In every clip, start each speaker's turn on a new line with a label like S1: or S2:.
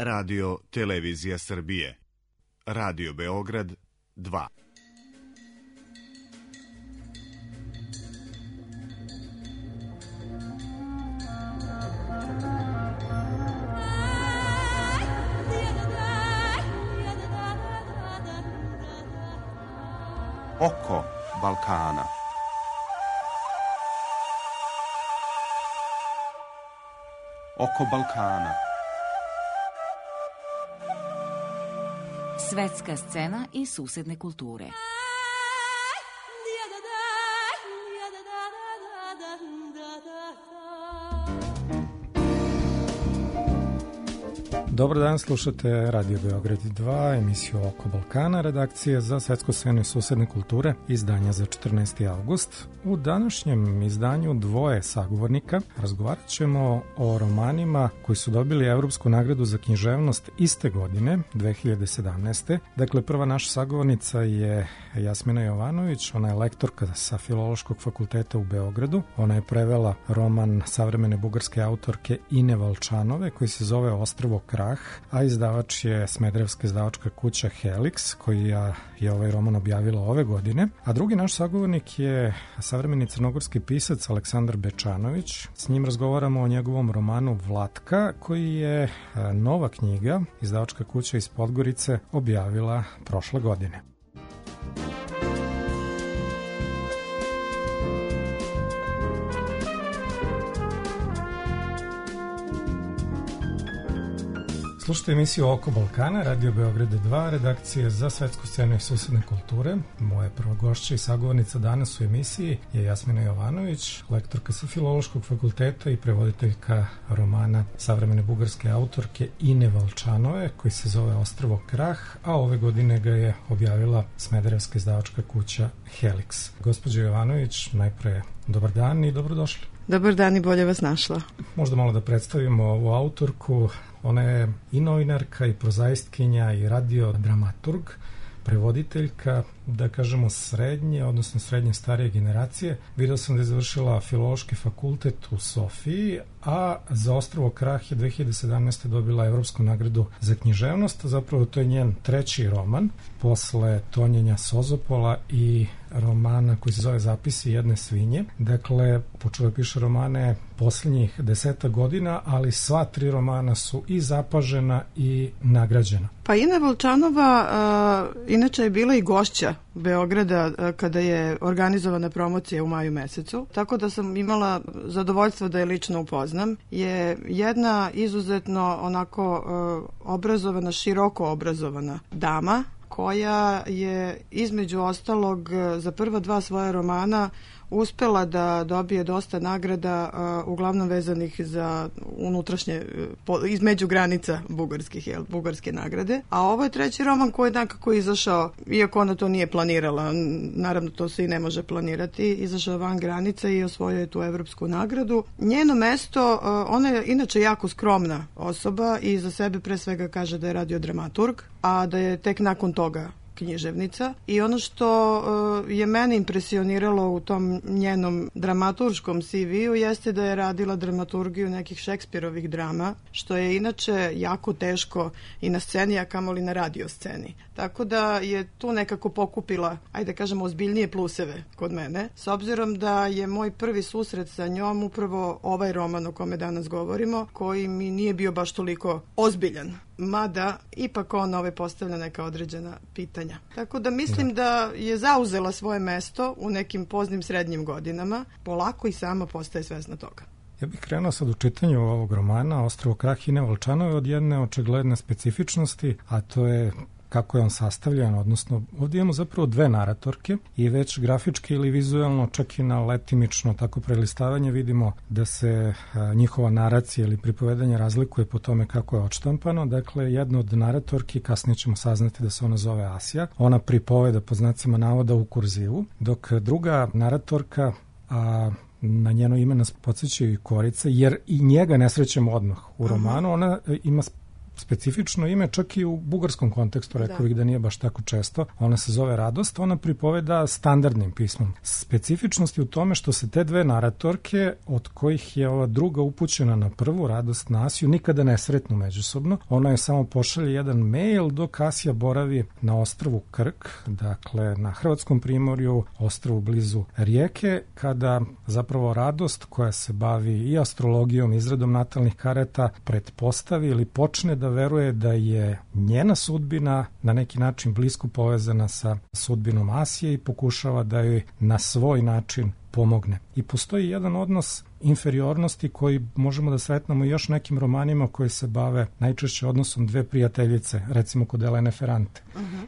S1: Radio Televizija Srbije. Radio Beograd 2.
S2: Oko Balkana. Oko Balkana.
S3: Svetska scena i susedne kulture.
S4: Dobar dan, slušate Radio Beograd 2, emisiju Oko Balkana, redakcije za svetsku scenu i susedne kulture, izdanja za 14. avgust. U današnjem izdanju dvoje sagovornika razgovarat ćemo o romanima koji su dobili Evropsku nagradu za književnost iste godine, 2017. Dakle, prva naša sagovornica je Jasmina Jovanović, ona je lektorka sa Filološkog fakulteta u Beogradu. Ona je prevela roman savremene bugarske autorke Ine Valčanove koji se zove Ostrvo Krah, a izdavač je smederevska izdavačka kuća Helix, koja je ovaj roman objavila ove godine. A drugi naš sagovornik je savremeni crnogorski pisac Aleksandar Bečanović. S njim razgovaramo o njegovom romanu Vlatka, koji je nova knjiga, izdavačka kuća iz Podgorice, objavila prošle godine. Slušajte emisiju Oko Balkana, Radio Beograd 2, redakcije za svetsku scenu i susedne kulture. Moje prva gošća i sagovornica danas u emisiji je Jasmina Jovanović, lektorka sa Filološkog fakulteta i prevoditeljka romana savremene bugarske autorke Ine Valčanove, koji se zove Ostrvo Krah, a ove godine ga je objavila smederevska izdavačka kuća Helix. Gospođo Jovanović, najpre dobar dan i dobrodošli.
S5: Dobar dan i bolje vas našla.
S4: Možda malo da predstavimo ovu autorku. Ona je i novinarka, i prozaistkinja, i radiodramaturg, prevoditeljka, da kažemo srednje, odnosno srednje starije generacije. Vidio sam da je završila Filološki fakultet u Sofiji, a za Ostrvo Krah je 2017. dobila Evropsku nagradu za književnost. Zapravo to je njen treći roman, posle Tonjenja Sozopola i romana koji se zove Zapisi jedne svinje. Dakle, počela piše romane posljednjih 10 godina, ali sva tri romana su i zapažena i nagrađena.
S5: Pa Ina Valčanova inače je bila i gošća Beograda kada je organizovana promocija u maju mesecu, tako da sam imala zadovoljstvo da je lično upoznam. Je jedna izuzetno onako obrazovana, široko obrazovana dama, koja je između ostalog za prva dva svoja romana uspela da dobije dosta nagrada, uglavnom vezanih za unutrašnje, između granica bugarske nagrade. A ovo je treći roman koji je nekako izašao, iako ona to nije planirala, naravno to se i ne može planirati, izašao van granica i osvojio je tu Evropsku nagradu. Njeno mesto, ona je inače jako skromna osoba i za sebe pre svega kaže da je radiodramaturg, a da je tek nakon toga književnica. I ono što je mene impresioniralo u tom njenom dramaturškom CV-u jeste da je radila dramaturgiju nekih Šekspirovih drama, što je inače jako teško i na sceni, a kamoli na radio sceni. Tako da je tu nekako pokupila, ajde kažemo, ozbiljnije pluseve kod mene, s obzirom da je moj prvi susret sa njom upravo ovaj roman o kome danas govorimo, koji mi nije bio baš toliko ozbiljan, mada ipak on postavlja neka određena pitanja. Tako da mislim da je zauzela svoje mesto u nekim poznim srednjim godinama, polako i sama postaje svesna toga.
S4: Ja bih krenuo sad u čitanju ovog romana Ostrvo Krah Ine Valčanove od jedne očigledne specifičnosti, a to je kako je on sastavljan, odnosno ovdje imamo zapravo dve naratorke i već grafički ili vizualno, čak i na letimično tako prelistavanje vidimo da se njihova naracija ili pripovedanje razlikuje po tome kako je odštampano. Dakle, jedna od naratorki, kasnije ćemo saznati da se ona zove Asija, ona pripoveda po znacima navoda u kurzivu, dok druga naratorka, na njeno ime nas podsjećaju i Korice, jer i njega ne srećemo odmah u romanu. Ona ima specifično ime, čak i u bugarskom kontekstu, rekao bih da nije baš tako često. Ona se zove Radost, ona pripoveda standardnim pismom. Specifičnost je u tome što se te dve naratorke, od kojih je ova druga upućena na prvu, Radost na Asiju, nikada ne sretnu međusobno. Ona je samo pošalje jedan mail dok Asija boravi na ostrvu Krk, dakle na Hrvatskom primorju, ostrvu blizu Rijeke, kada zapravo Radost, koja se bavi i astrologijom, izradom natalnih karata, pretpostavi ili počne da veruje da je njena sudbina na neki način blisko povezana sa sudbinom Asije i pokušava da joj na svoj način pomogne. I postoji jedan odnos inferiornosti koji možemo da sretnemo i još nekim romanima koji se bave najčešće odnosom dve prijateljice, recimo kod Elene Ferrante,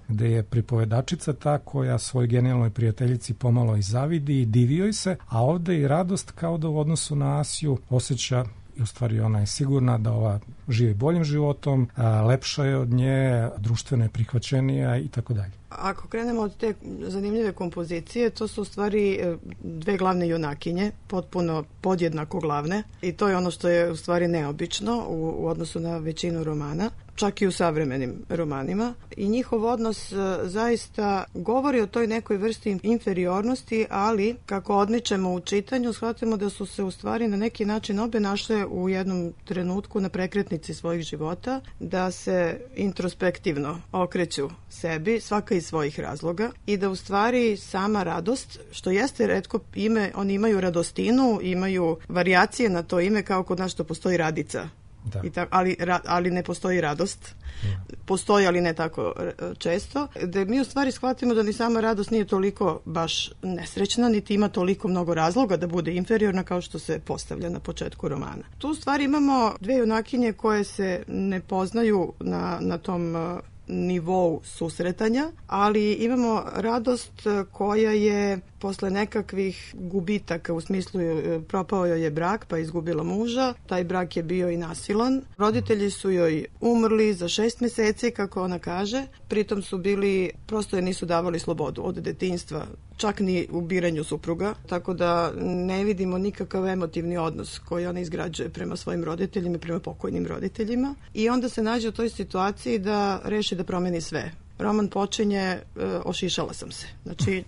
S4: gde je pripovedačica ta koja svoj genijalnoj prijateljici pomalo i zavidi i divi joj se, a ovde i Radost kao da u odnosu na Asiju osjeća i u stvari ona je sigurna da ova živi boljim životom, lepša je od nje, društveno je prihvaćenija i tako dalje.
S5: Ako krenemo od te zanimljive kompozicije, to su u stvari dve glavne junakinje, potpuno podjednako glavne, i to je ono što je u stvari neobično u odnosu na većinu romana, čak i u savremenim romanima. I njihov odnos zaista govori o toj nekoj vrsti inferiornosti, ali kako odmičemo u čitanju, shvatimo da su se u stvari na neki način obe našle u jednom trenutku na prekretnici svojih života, da se introspektivno okreću sebi, svaka iz svojih razloga, i da u stvari sama Radost, što jeste retko ime, oni imaju Radostinu, imaju varijacije na to ime, kao kod nas što postoji Radica. Da. Ali ne postoji Radost. Postoji, ali ne tako često. Da mi u stvari shvatimo da ni sama Radost nije toliko baš nesrećna, niti ima toliko mnogo razloga da bude inferiorna kao što se postavlja na početku romana. Tu u stvari imamo dve junakinje koje se ne poznaju na tom nivou susretanja, ali imamo Radost koja je posle nekakvih gubitaka, u smislu propao joj je brak pa izgubila muža, taj brak je bio i nasilan. Roditelji su joj umrli za 6 meseci, kako ona kaže, pritom su bili, prosto je nisu davali slobodu od detinjstva, čak ni u biranju supruga, tako da ne vidimo nikakav emotivni odnos koji ona izgrađuje prema svojim roditeljima i prema pokojnim roditeljima. I onda se nađe u toj situaciji da reši da promeni sve. Roman počinje, ošišala sam se. Znači,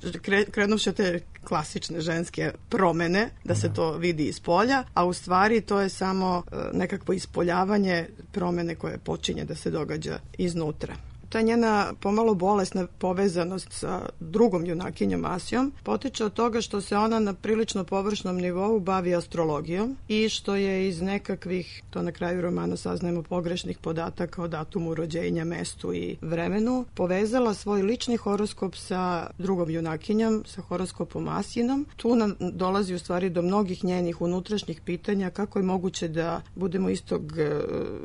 S5: krenuvši te klasične ženske promene, da se to vidi iz polja, a u stvari to je samo nekakvo ispoljavanje promene koje počinje da se događa iznutra. Ta njena pomalo bolesna povezanost sa drugom junakinjom Asijom potiče od toga što se ona na prilično površnom nivou bavi astrologijom i što je iz nekakvih, to na kraju romana saznajemo, pogrešnih podataka o datumu rođenja, mestu i vremenu, povezala svoj lični horoskop sa drugom junakinjom, sa horoskopom Asijinom. Tu nam dolazi u stvari do mnogih njenih unutrašnjih pitanja kako je moguće da budemo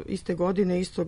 S5: iste godine, istog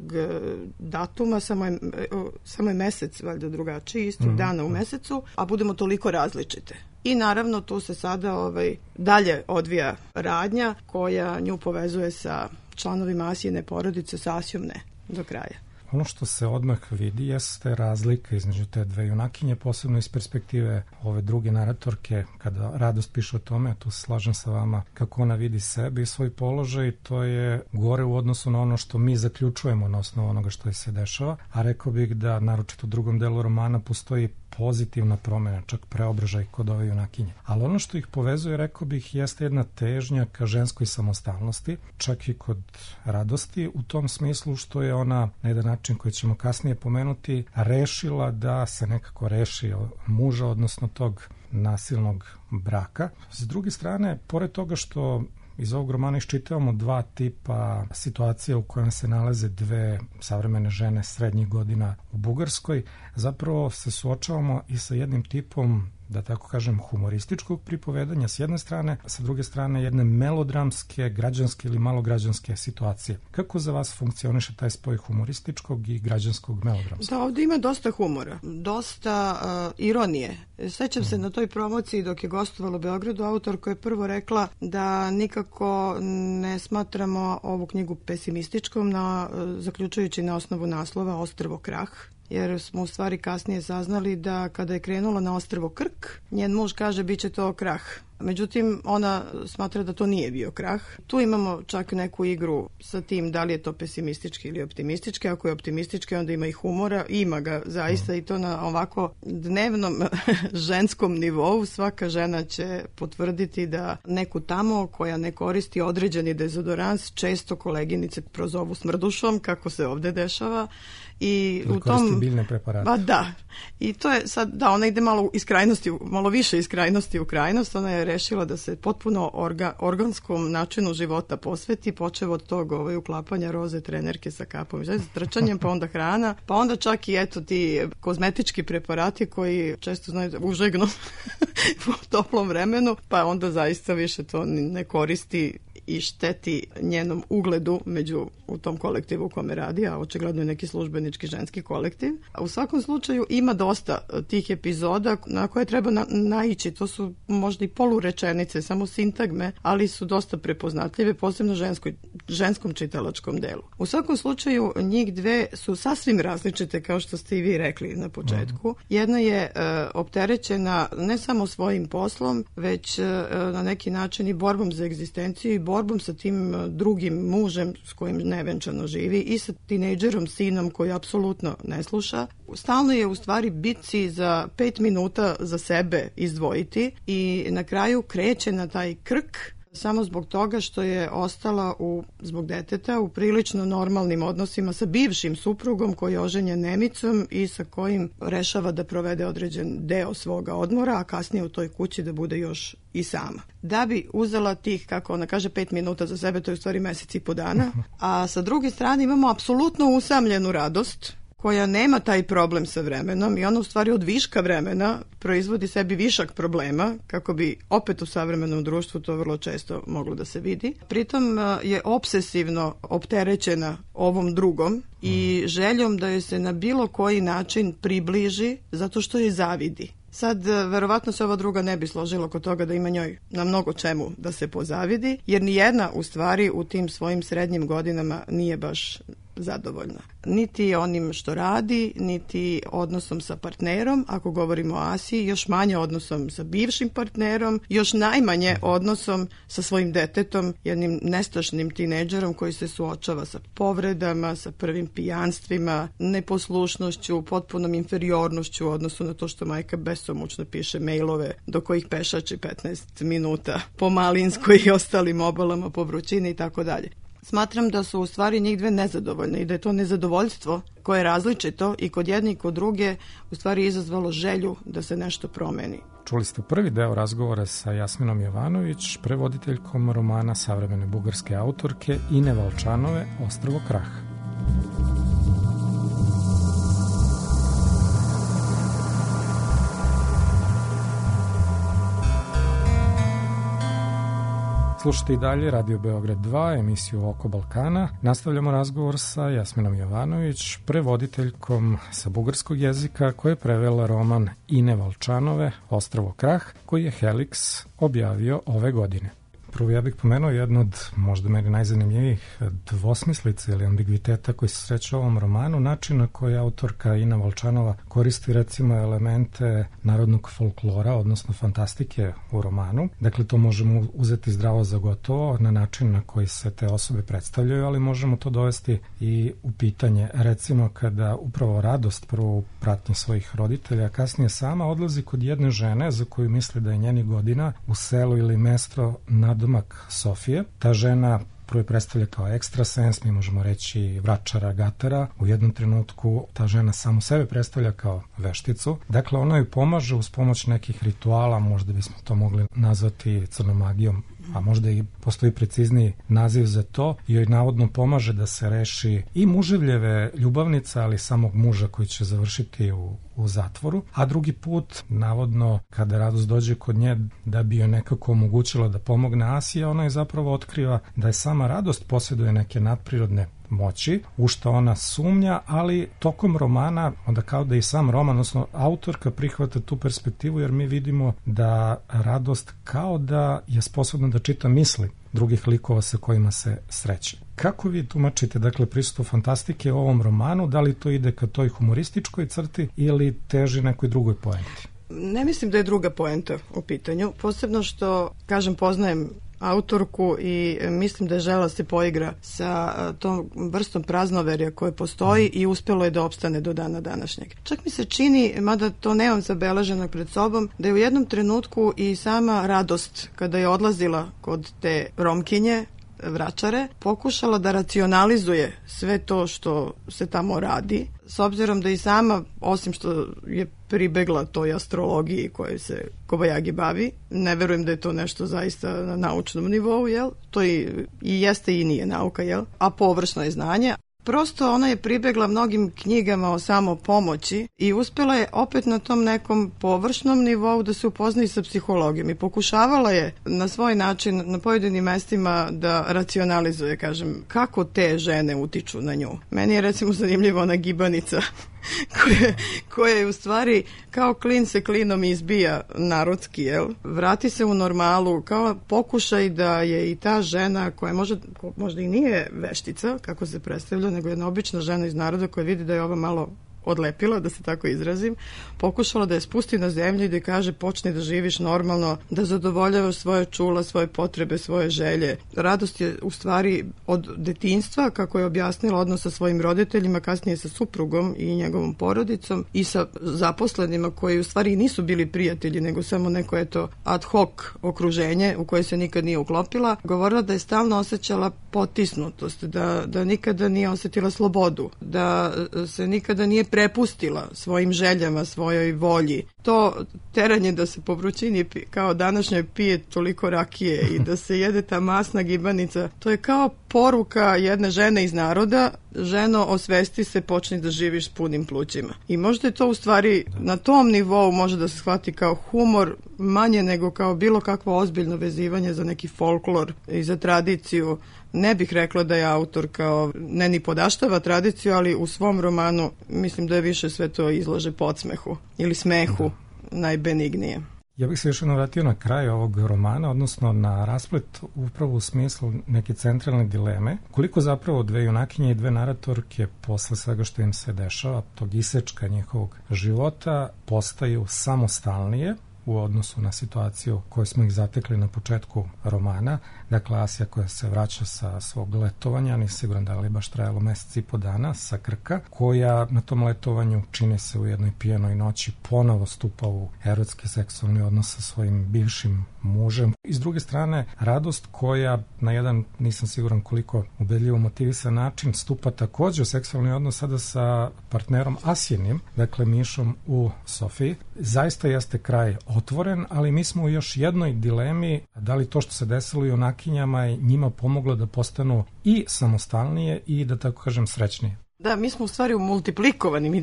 S5: datuma, samo je mesec valjda drugačiji, istog dana u mesecu, a budemo toliko različite. I naravno tu se sada dalje odvija radnja koja nju povezuje sa članovima Asijine porodice, sa Asijom ne, do kraja.
S4: Ono što se odmah vidi jeste razlika između te dve junakinje, posebno iz perspektive ove druge naratorke, kada Radost piše o tome, tu se slažem sa vama, kako ona vidi sebe i svoj položaj, to je gore u odnosu na ono što mi zaključujemo na osnovu onoga što se dešava, a rekao bih da naročito u drugom delu romana postoji pozitivna promjena, čak preobražaj kod ove junakinje. Ali ono što ih povezuje, rekao bih, jeste jedna težnja ka ženskoj samostalnosti, čak i kod Radosti, u tom smislu što je ona, na jedan način koji ćemo kasnije pomenuti, rešila da se nekako reši muža, odnosno tog nasilnog braka. S druge strane, pored toga što iz ovog romana iščitavamo dva tipa situacija u kojem se nalaze dve savremene žene srednjih godina u Bugarskoj, zapravo se suočavamo i sa jednim tipom, da tako kažem, humorističkog pripovedanja s jedne strane, a sa druge strane jedne melodramske, građanske ili malograđanske situacije. Kako za vas funkcioniše taj spoj humorističkog i građanskog melodramskog?
S5: Da, ovdje ima dosta humora, dosta ironije. Sećam se na toj promociji dok je gostovala u Beogradu, autorka je prvo rekla da nikako ne smatramo ovu knjigu pesimističkom, zaključujući na osnovu naslova Ostrvo Krah, jer smo u stvari kasnije saznali da kada je krenula na ostrvo Krk, njen muž kaže bit će to krah. međutim ona smatra da to nije bio krah. Tu imamo čak neku igru sa tim da li je to pesimistički ili optimistički. Ako je optimistički, onda ima i humora, ima ga zaista i to na ovako dnevnom ženskom nivou. Svaka žena će potvrditi da neku tamo koja ne koristi određeni dezodorans često koleginice prozovu smrdušom, kako se ovde dešava. I
S4: u tom biljne preparate.
S5: Pa da. I to je sad, da, ona ide malo iz krajnosti, malo više iz krajnosti u krajnost. Ona je rešila da se potpuno organskom načinu života posveti, počev od tog uklapanja roze trenerke sa kapom, s trčanjem, pa onda hrana, pa onda čak i eto ti kozmetički preparati koji često znaju užegnu u toplom vremenu, pa onda zaista više to ne koristi i šteti njenom ugledu u tom kolektivu u kome radi, a očigledno je neki službenički ženski kolektiv. A u svakom slučaju ima dosta tih epizoda na koje treba naići. To su možda i polurečenice, samo sintagme, ali su dosta prepoznatljive, posebno ženskom čitalačkom delu. U svakom slučaju njih dve su sasvim različite, kao što ste i vi rekli na početku. Jedna je opterećena ne samo svojim poslom, već na neki način i borbom za egzistenciju i borbom sa tim drugim mužem s kojim nevenčano živi i sa tinejdžerom sinom koji apsolutno ne sluša. Stalno je u stvari bitci za 5 minuta za sebe izdvojiti i na kraju kreće na taj krk samo zbog toga što je ostala zbog deteta u prilično normalnim odnosima sa bivšim suprugom koji je oženjen Nemicom i sa kojim rešava da provede određen deo svoga odmora, a kasnije u toj kući da bude još i sama. Da bi uzela tih, kako ona kaže, 5 minuta za sebe, to je u stvari mesec i po dana, a sa druge strane imamo apsolutno usamljenu radost koja nema taj problem sa vremenom i ona u stvari od viška vremena proizvodi sebi višak problema, kako bi opet u savremenom društvu to vrlo često moglo da se vidi. Pritom je obsesivno opterećena ovom drugom i željom da joj se na bilo koji način približi zato što je zavidi. Sad, verovatno se ova druga ne bi složila oko toga da ima njoj na mnogo čemu da se pozavidi, jer nijedna u stvari u tim svojim srednjim godinama nije baš zadovoljna. Niti onim što radi, niti odnosom sa partnerom, ako govorimo o Asiji, još manje odnosom sa bivšim partnerom, još najmanje odnosom sa svojim detetom, jednim nestašnim tinejdžerom koji se suočava sa povredama, sa prvim pijanstvima, neposlušnošću, potpunom inferiornošću u odnosu na to što majka besomučno piše mailove do kojih pešači 15 minuta po Malinskoj i ostalim obalama po vrućini i tako dalje. Smatram da su u stvari njih dve nezadovoljne i da je to nezadovoljstvo koje je različito i kod jedne i kod druge u stvari izazvalo želju da se nešto promeni.
S4: Čuli ste prvi deo razgovora sa Jasminom Jovanović, prevoditeljkom romana savremene bugarske autorke Ine Valčanove Ostrvo Krah. Slušajte i dalje Radio Beograd 2, emisiju Oko Balkana. Nastavljamo razgovor sa Jasminom Jovanović, prevoditeljkom sa bugarskog jezika, koja je prevela roman Ine Valčanove Ostrvo Krah, koji je Helix objavio ove godine. Prvo ja bih pomenuo jednu od možda meni najzanimljivijih dvosmislica ili ambigviteta koji se sreće u ovom romanu, način na koji autorka Ina Valčanova koristi recimo elemente narodnog folklora, odnosno fantastike u romanu. Dakle, to možemo uzeti zdravo za gotovo na način na koji se te osobe predstavljaju, ali možemo to dovesti i u pitanje. Recimo, kada upravo Radost prvo u pratnji svojih roditelja, a kasnije sama odlazi kod jedne žene za koju misli da je njenih godina u selu ili mesto nadomak Sofije. Ta žena prvo je predstavlja kao ekstrasens, mi možemo reći vračara, gatara. U jednom trenutku ta žena samu sebe predstavlja kao vešticu. Dakle, ona joj pomaže uz pomoć nekih rituala, možda bismo to mogli nazvati crnomagijom, a možda i postoji precizniji naziv za to, i joj navodno pomaže da se reši i muževljeve ljubavnice, ali samog muža koji će završiti u zatvoru, a drugi put, navodno, kada Radost dođe kod nje da bi joj nekako omogućila da pomogne Asiji, ona je zapravo otkriva da je sama Radost posjeduje neke nadprirodne moći, u što ona sumnja, ali tokom romana, onda kao da i sam roman, odnosno autorka prihvata tu perspektivu, jer mi vidimo da Radost kao da je sposobna da čita misli drugih likova sa kojima se sreće. Kako vi tumačite, dakle, prisustvo fantastike u ovom romanu? Da li to ide ka toj humorističkoj crti ili teži nekoj drugoj poenti?
S5: Ne mislim da je druga poenta u pitanju, posebno što, kažem, poznajem autorku i mislim da je želela se poigra sa tom vrstom praznoverja koje postoji i uspelo je da opstane do dana današnjeg. Čak mi se čini, mada to nemam zabeleženo pred sobom, da je u jednom trenutku i sama Radost, kada je odlazila kod te Romkinje, vračare, pokušala da racionalizuje sve to što se tamo radi, s obzirom da i sama, osim što je pribegla toj astrologiji koje se Kobayagi bavi, ne verujem da je to nešto zaista na naučnom nivou, jel? To i jeste i nije nauka, jel? A površno je znanje. Prosto ona je pribegla mnogim knjigama o samopomoći i uspela je opet na tom nekom površnom nivou da se upozna i sa psihologijom i pokušavala je na svoj način na pojedinim mestima da racionalizuje, kažem, kako te žene utiču na nju. Meni je recimo zanimljiva ona gibanica koja je u stvari kao klin se klinom izbija narodski, jel? Vrati se u normalu, kao pokušaj da je i ta žena koja možda i nije veštica, kako se predstavlja, nego jedna obična žena iz naroda koja vidi da je ova malo odlepila, da se tako izrazim, pokušala da je spusti na zemlju i da je kaže počni da živiš normalno, da zadovoljavaš svoje čula, svoje potrebe, svoje želje. Radost je u stvari od detinjstva, kako je objasnila, odnos sa svojim roditeljima, kasnije sa suprugom i njegovom porodicom i sa zaposlenima koji u stvari nisu bili prijatelji, nego samo neko ad hoc okruženje u koje se nikad nije uklopila. Govorila da je stalno osjećala potisnutost, da nikada nije osjetila slobodu, da se nikada nije prepustila svojim željama, svojoj volji. To teranje da se po vrućini kao današnjoj pije toliko rakije i da se jede ta masna gibanica, to je kao poruka jedne žene iz naroda: ženo, osvesti se, počni da živiš s punim plućima. I možda je to u stvari na tom nivou može da se shvati kao humor, manje nego kao bilo kakvo ozbiljno vezivanje za neki folklor i za tradiciju. Ne bih rekla da je autor kao ne ni podaštava tradiciju, ali u svom romanu mislim da je više sve to izlaže podsmehu ili smehu najbenignije.
S4: Ja bih se još vratio na kraj ovog romana, odnosno na rasplet upravo u smislu neke centralne dileme. Koliko zapravo dve junakinje i dve naratorke posle svega što im se dešava, tog isečka njihovog života, postaju samostalnije u odnosu na situaciju koju smo ih zatekli na početku romana. Dakle, Asija koja se vraća sa svog letovanja, nisam siguran da li baš trajalo mesec i po dana, sa Krka, koja na tom letovanju čini se u jednoj pijenoj noći ponovo stupa u erotski seksualni odnos sa svojim bivšim mužem. I s druge strane, Radost koja na jedan, nisam siguran koliko ubedljivo motivisan način, stupa takođe u seksualni odnos sada sa partnerom Asijinim, dakle Mišom u Sofiji. Zaista jeste kraj otvoren, ali mi smo u još jednoj dilemi, da li to što se desilo i junakinjama je njima pomoglo da postanu i samostalnije i, da tako kažem, srećnije.
S5: Da, mi smo u stvari u multiplikovanim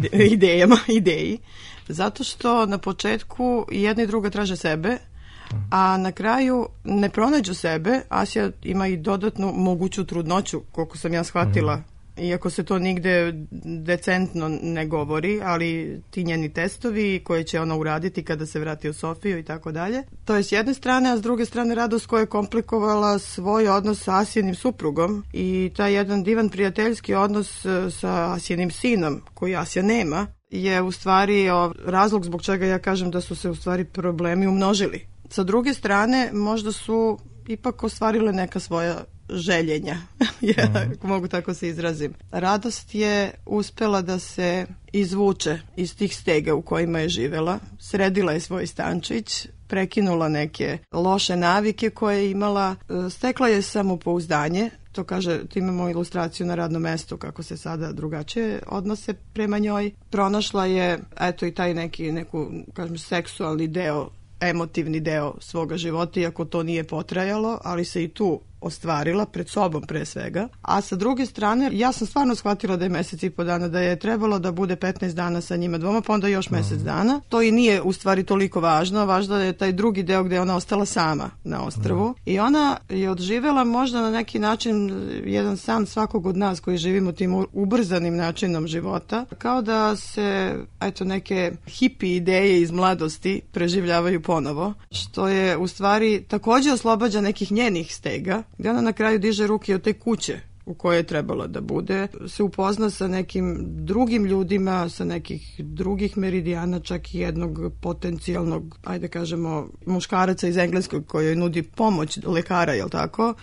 S5: ideji, zato što na početku jedna i druga traže sebe, a na kraju ne pronađu sebe. Asija ima i dodatnu moguću trudnoću, koliko sam ja shvatila, iako se to nigde decentno ne govori, ali ti njeni testovi koje će ona uraditi kada se vrati u Sofiju i tako dalje. To je s jedne strane, a s druge strane Radost koja je komplikovala svoj odnos sa Asijinim suprugom i taj jedan divan prijateljski odnos sa Asijinim sinom, koji Asija nema, je u stvari razlog zbog čega ja kažem da su se u stvari problemi umnožili. Sa druge strane, možda su ipak ostvarile neka svoja željenja, ako mogu tako se izrazim. Radost je uspela da se izvuče iz tih stega u kojima je živela, sredila je svoj stančić, prekinula neke loše navike koje je imala, stekla je samopouzdanje, to kaže, tu imamo ilustraciju na radnom mestu kako se sada drugačije odnose prema njoj. Pronašla je, eto, i taj neku, kažem, seksualni deo, emotivni deo svoga života, iako to nije potrajalo, ali se i tu ostvarila pred sobom pre svega. A sa druge strane, ja sam stvarno shvatila da je mesec i po dana, da je trebalo da bude 15 dana sa njima dvoma, pa onda još mesec dana. To i nije u stvari toliko važno. Važno je taj drugi deo gde je ona ostala sama na ostrvu. I ona je odživela možda na neki način jedan san svakog od nas koji živimo tim ubrzanim načinom života. Kao da se, eto, neke hipi ideje iz mladosti preživljavaju ponovo, što je u stvari takođe oslobađa nekih njenih stega, gde ona na kraju diže ruke od te kuće u kojoj je trebala da bude, se upozna sa nekim drugim ljudima, sa nekih drugih meridijana, čak i jednog potencijalnog, ajde kažemo, muškaraca iz engleskog koji joj nudi pomoć lekara, jel tako?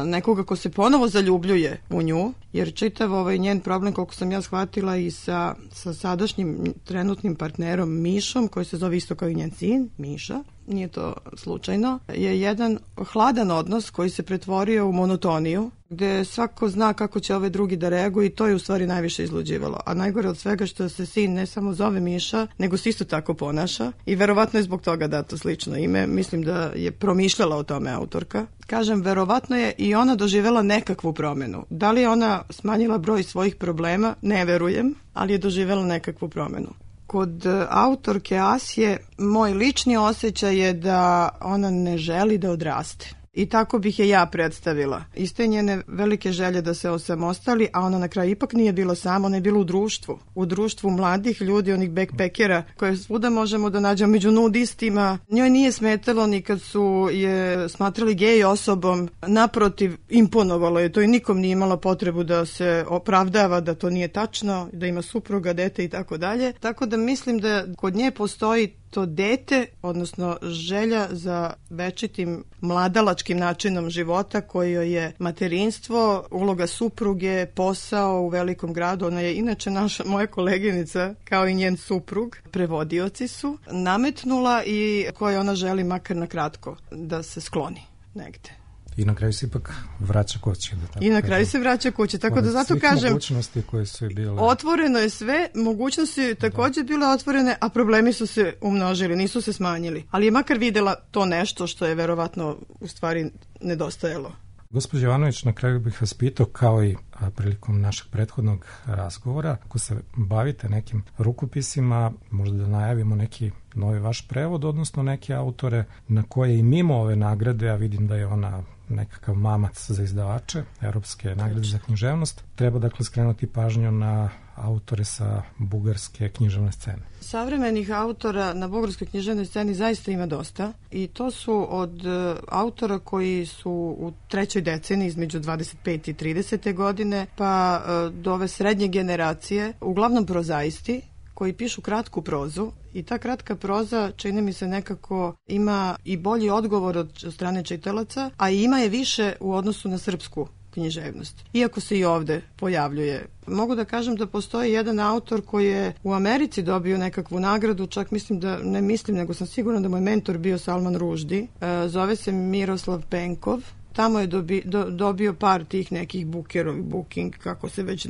S5: Nekoga ko se ponovo zaljubljuje u nju, jer čitav njen problem, koliko sam ja shvatila, i sa sadašnjim trenutnim partnerom Mišom, koji se zove isto kao i njen sin, Miša, nije to slučajno, je jedan hladan odnos koji se pretvorio u monotoniju, gde svako zna kako će ove drugi da reaguju i to je u stvari najviše izluđivalo. A najgore od svega što se sin ne samo zove Miša, nego se isto tako ponaša i verovatno je zbog toga dato slično ime. Mislim da je promišljala o tome autorka. Kažem, verovatno je i ona doživela nekakvu promenu. Da li je ona smanjila broj svojih problema? Ne verujem, ali je doživela nekakvu promenu. Kod autorke Asje moj lični osjećaj je da ona ne želi da odraste. I tako bih je ja predstavila. Iste njene velike želje da se osamostali, a ona na kraju ipak nije bila sama, ona je bila u društvu. U društvu mladih ljudi, onih backpackera, koje svuda možemo da nađemo među nudistima. Njoj nije smetalo ni kad su je smatrali gej osobom. Naprotiv, imponovalo je to i nikom nije imala potrebu da se opravdava da to nije tačno, da ima supruga, dete i tako dalje. Tako da mislim da kod nje postoji to dete, odnosno želja za večitim mladalačkim načinom života koji joj je materinstvo, uloga supruge, posao u velikom gradu. Ona je inače moja koleginica, kao i njen suprug, prevodioci su, nametnula i koje ona želi makar na kratko da se skloni negde.
S4: I na kraju se ipak vraća kući.
S5: I na kraju se vraća kući, tako da zato kažem,
S4: mogućnosti koje su bile...
S5: Otvoreno je sve, mogućnosti također bile otvorene, a problemi su se umnožili, nisu se smanjili. Ali je makar videla to nešto što je verovatno u stvari nedostajalo.
S4: Gospođo Jovanović, na kraju bih vas pitao, kao i prilikom našeg prethodnog razgovora, ako se bavite nekim rukopisima, možda da najavimo neki novi vaš prevod, odnosno neke autore na koje i mimo ove nagrade, a vidim da je ona nekakav mamac za izdavače, Evropske nagrade za književnost, treba dakle skrenuti pažnju na autore sa bugarske književne scene.
S5: Savremenih autora na bugarskoj književnoj sceni zaista ima dosta i to su od autora koji su u trećoj deceniji između 25. i 30. godine pa do ove srednje generacije, uglavnom prozaisti koji pišu kratku prozu i ta kratka proza, čini mi se, nekako ima i bolji odgovor od strane čitalaca, a ima je više u odnosu na srpsku književnost. Iako se i ovde pojavljuje. Mogu da kažem da postoji jedan autor koji je u Americi dobio nekakvu nagradu, čak nego sam sigurna da mu je mentor bio Salman Rushdie. Zove se Miroslav Penkov. Tamo je dobio par tih nekih booking, kako se već,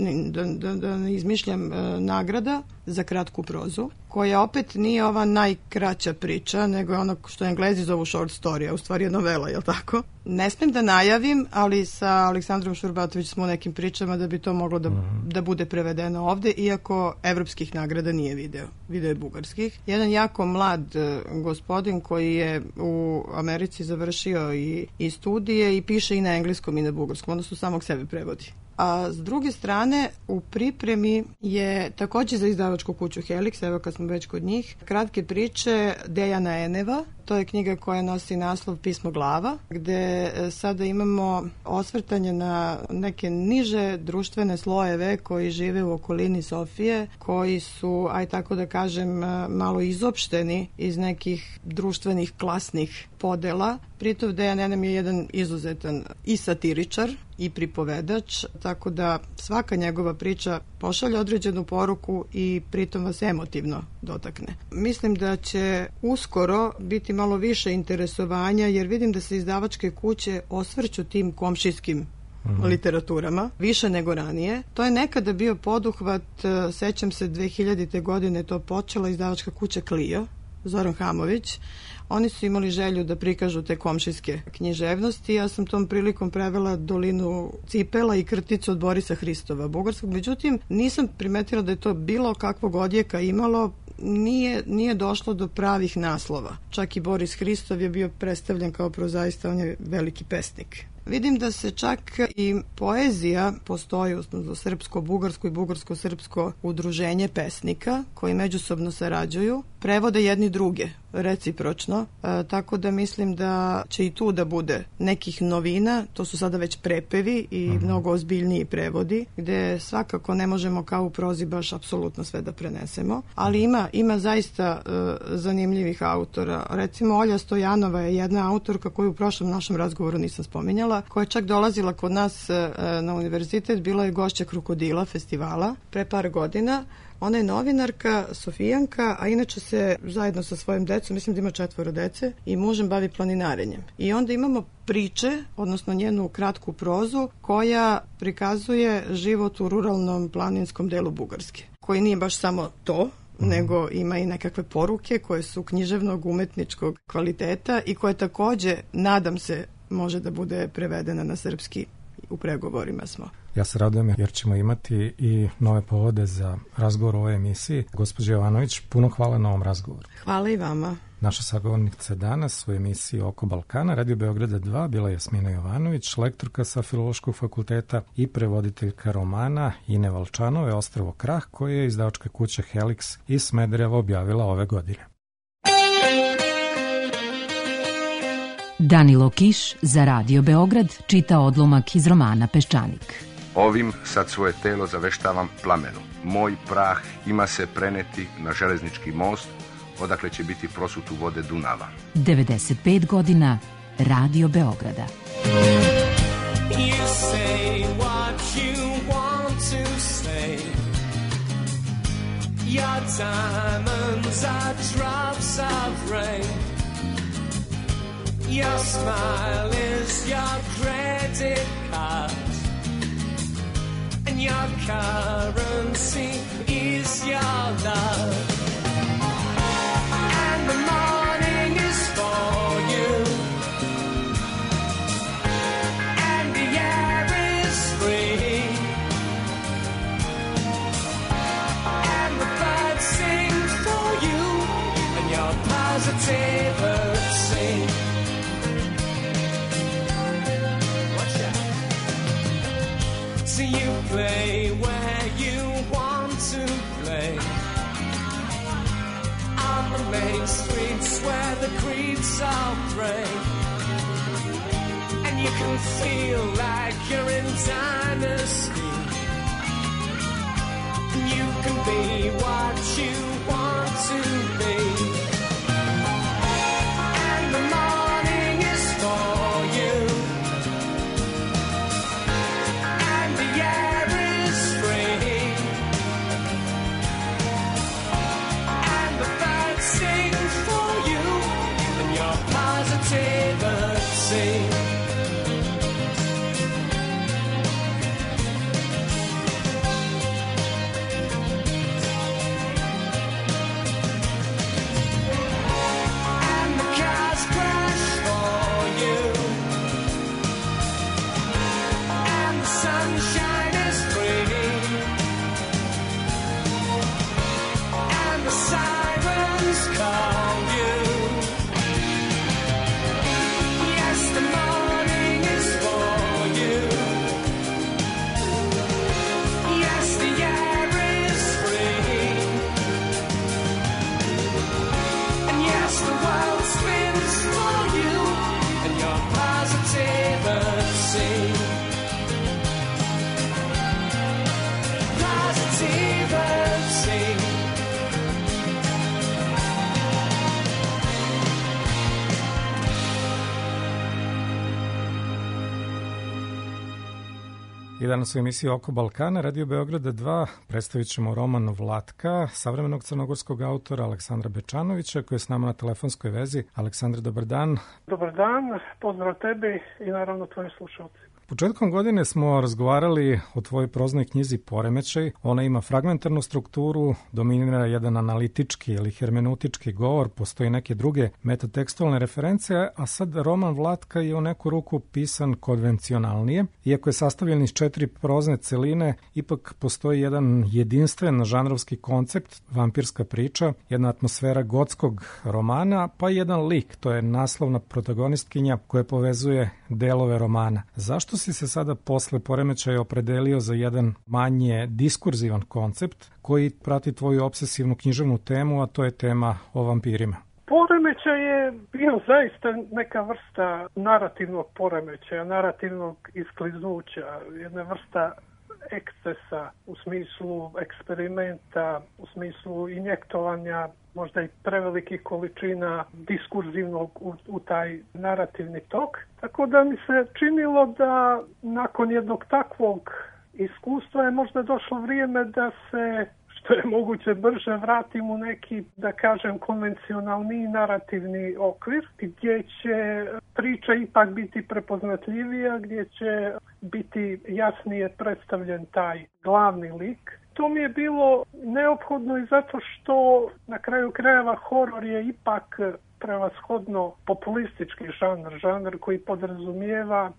S5: da ne izmišljam, nagrada za kratku prozu, koja opet nije ova najkraća priča, nego je ono što Englezi zovu short story, a u stvari je novela, jel tako? Ne smem da najavim, ali sa Aleksandrom Šurbatović smo u nekim pričama da bi to moglo da bude prevedeno ovde, iako evropskih nagrada nije video je bugarskih. Jedan jako mlad gospodin koji je u Americi završio i studije i piše i na engleskom i na bugarskom, odnosno samog sebe prevodi. A s druge strane, u pripremi je također za izdavačku kuću Helix, evo kad smo već kod njih, kratke priče Dejana Eneva. To je knjiga koja nosi naslov Pismo glava, gde sada imamo osvrtanje na neke niže društvene slojeve koji žive u okolini Sofije, koji su, aj tako da kažem, malo izopšteni iz nekih društvenih klasnih podela. Pritom Dejan Enem je jedan izuzetan i satiričar i pripovedač, tako da svaka njegova priča pošalje određenu poruku i pritom vas emotivno dotakne. Mislim da će uskoro biti malo više interesovanja, jer vidim da se izdavačke kuće osvrću tim komšijskim literaturama, više nego ranije. To je nekada bio poduhvat, sećam se 2000. godine to počela izdavačka kuća Clio, Zoran Hamović. Oni su imali želju da prikažu te komšijske književnosti. Ja sam tom prilikom prevela Dolinu cipela i Krticu od Borisa Hristova bugarskog. Međutim, nisam primetila da je to bilo kakvog odjeka imalo. Nije došlo do pravih naslova. Čak i Boris Hristov je bio predstavljen kao prozaista, on je veliki pesnik. Vidim da se čak i poezija postoji, odnosno srpsko-bugarsko i bugarsko-srpsko udruženje pesnika koji međusobno sarađuju, prevode jedni druge recipročno, tako da mislim da će i tu da bude nekih novina, to su sada već prepevi i mnogo ozbiljniji prevodi, gde svakako ne možemo kao u prozi baš apsolutno sve da prenesemo, ali ima zaista zanimljivih autora. Recimo Olja Stojanova je jedna autorka koju u prošlom našem razgovoru nisam spominjala, koja je čak dolazila kod nas na univerzitet, bila je gošća Krokodila festivala pre par godina. Ona je novinarka, Sofijanka, a inače se zajedno sa svojim decom, mislim da ima 4 dece, i mužem bavi planinarenjem. I onda imamo priče, odnosno njenu kratku prozu, koja prikazuje život u ruralnom planinskom delu Bugarske, koji nije baš samo to, nego ima i nekakve poruke koje su književnog, umetničkog kvaliteta i koje takođe, nadam se, može da bude prevedena na srpski. U pregovorima smo.
S4: Ja se radujem jer ćemo imati i nove povode za razgovor o ovoj emisiji. Gospođo Jovanović, puno hvala na ovom razgovoru.
S5: Hvala i vama.
S4: Naša sagovornica danas u emisiji Oko Balkana, Radio Beograda 2, bila je Jasmina Jovanović, lektorka sa Filološkog fakulteta i prevoditeljka romana Ine Valčanove Ostrvo Krah, koje je izdavačka kuća Helix iz Smedereva objavila ove godine.
S3: Danilo Kiš za Radio Beograd čita odlomak iz romana Peščanik.
S6: Ovim sad svoje telo zaveštavam plamenu. Moj prah ima se preneti na železnički most, odakle će biti prosut u vode Dunava.
S3: 95 godina Radio Beograda.
S7: You say what you want to say. Your diamonds are drops of rain. Your smile is your credit card, and your currency is your love. And the morning is for you, and the air is free, and the birds sing for you, and your positivity. So you play where you want to play, on the main streets where the creeds all pray, and you can feel like you're in dynasty, and you can be what you want to be, and the morning is for you.
S4: I danas u emisiji Oko Balkana, Radio Beograda 2, predstavit ćemo roman Vlatka, savremenog crnogorskog autora Aleksandra Bečanovića, koji je s nama na telefonskoj vezi. Aleksandar, dobar dan.
S8: Dobar dan, pozdrav tebi i naravno tvojim slušalcima.
S4: Početkom godine smo razgovarali o tvojoj proznoj knjizi Poremećaj. Ona ima fragmentarnu strukturu, dominira jedan analitički ili hermeneutički govor, postoji neke druge metatekstualne reference, a sad roman Vlatka je u neku ruku pisan konvencionalnije. Iako je sastavljen iz 4 prozne celine, ipak postoji jedan jedinstven žanrovski koncept, vampirska priča, jedna atmosfera gotskog romana, pa i jedan lik, to je naslovna protagonistkinja koja povezuje delove romana. Zašto si se sada posle Poremećaja opredelio za jedan manje diskurzivan koncept koji prati tvoju obsesivnu književnu temu, a to je tema o vampirima?
S8: Poremećaj je bio zaista neka vrsta narativnog poremećaja, narativnog iskliznuća, jedna vrsta ekscesa u smislu eksperimenta, u smislu injektovanja možda i prevelikih količina diskurzivnog u taj narativni tok. Tako da mi se činilo da nakon jednog takvog iskustva je možda došlo vrijeme da se što je moguće brže vratim u neki, da kažem, konvencionalni narativni okvir, gdje će priča ipak biti prepoznatljivija, gdje će biti jasnije predstavljen taj glavni lik. To mi je bilo neophodno i zato što na kraju krajeva horor je ipak prevashodno populistički žanr koji podrazumijeva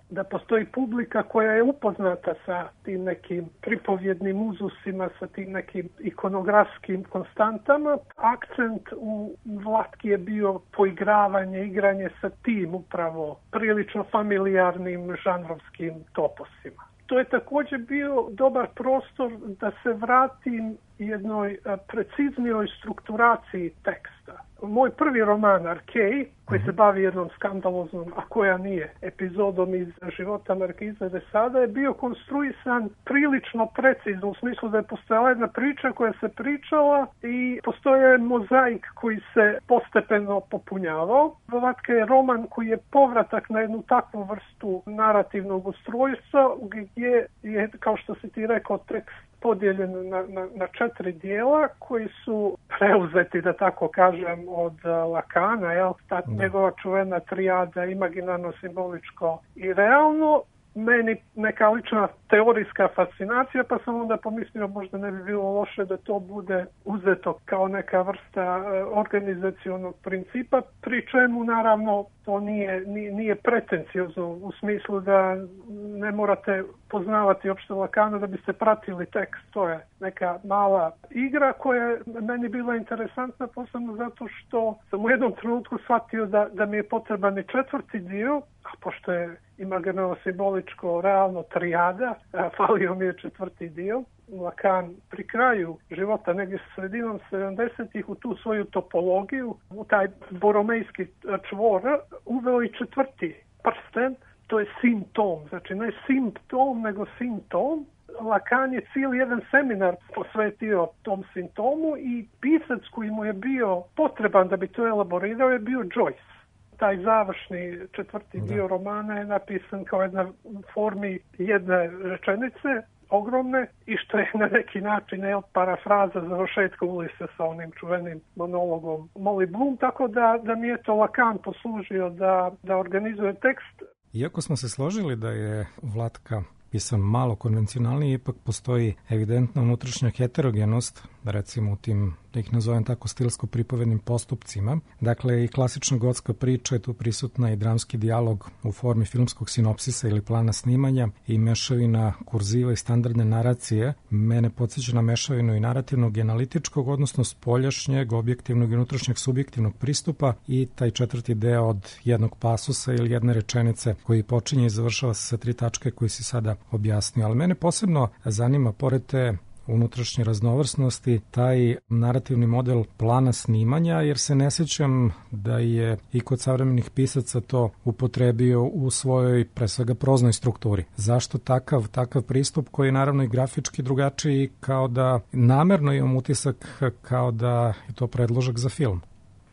S8: da postoji publika koja je upoznata sa tim nekim pripovjednim uzusima, sa tim nekim ikonografskim konstantama. Akcent u Vlatki je bio poigravanje, igranje sa tim upravo prilično familijarnim žanrovskim toposima. To je također bio dobar prostor da se vratim jednoj preciznijoj strukturaciji teksta. Moj prvi roman Arkej, koji se bavi jednom skandaloznom, a koja nije, epizodom iz života Markiza de Sada, je bio konstruisan prilično precizno, u smislu da je postojala jedna priča koja se pričala i postoje mozaik koji se postepeno popunjavao. Vlatka je roman koji je povratak na jednu takvu vrstu narativnog ustrojstva, gdje je, kao što si ti rekao, tekst podijeljen na 4 dijela koji su preuzeti, da tako kažem, od Lacana, jel? Ta njegova čuvena trijada imaginarno, simboličko i realno. Meni neka lična teorijska fascinacija, pa sam onda pomislio možda ne bi bilo loše da to bude uzeto kao neka vrsta organizacionog principa, pri čemu naravno to nije pretenciozno u smislu da ne morate poznavati opšte Lacana da biste pratili tekst. To je neka mala igra koja je meni bila interesantna, posebno zato što sam u jednom trenutku shvatio da mi je potreban i 4. dio, a pošto je imaginarno, simboličko, realno trijada, falio mi je 4. dio. Lacan pri kraju života, negdje s sredinom 70-ih, u tu svoju topologiju, u taj boromejski čvor, uveo i 4. prsten, to je simptom, znači ne simptom, nego simptom. Lacan je cijeli jedan seminar posvetio tom simptomu i pisac koji mu je bio potreban da bi to elaborirao je bio Joyce. Taj završni 4. dio romana je napisan kao jedna formi jedne rečenice, ogromne, i što je na neki način parafraza završetka Ulisa sa onim čuvenim monologom Molly Bloom, tako da mi je to Lacan poslužio da organizuje tekst.
S4: Iako smo se složili da je Vlatka pisan malo konvencionalnije, ipak postoji evidentna unutrašnja heterogenost, recimo u tim, da ih nazovem tako, stilsko-pripovednim postupcima. Dakle, i klasična gotska priča je tu prisutna i dramski dijalog u formi filmskog sinopsisa ili plana snimanja i mešavina kurziva i standardne naracije. Mene podsjeća na mešavinu i narativnog i analitičkog, odnosno spoljašnjeg, objektivnog i unutrašnjeg subjektivnog pristupa i taj 4. deo od jednog pasusa ili jedne rečenice koji počinje i završava se sa 3 tačke koji si sada objasnio. Ali mene posebno zanima, pored te unutrašnje raznovrsnosti, taj narativni model plana snimanja, jer se ne sjećam da je i kod savremenih pisaca to upotrebio u svojoj, pre svega, proznoj strukturi. Zašto takav pristup koji je naravno i grafički drugačiji, kao da namerno imam utisak kao da je to predložak za film?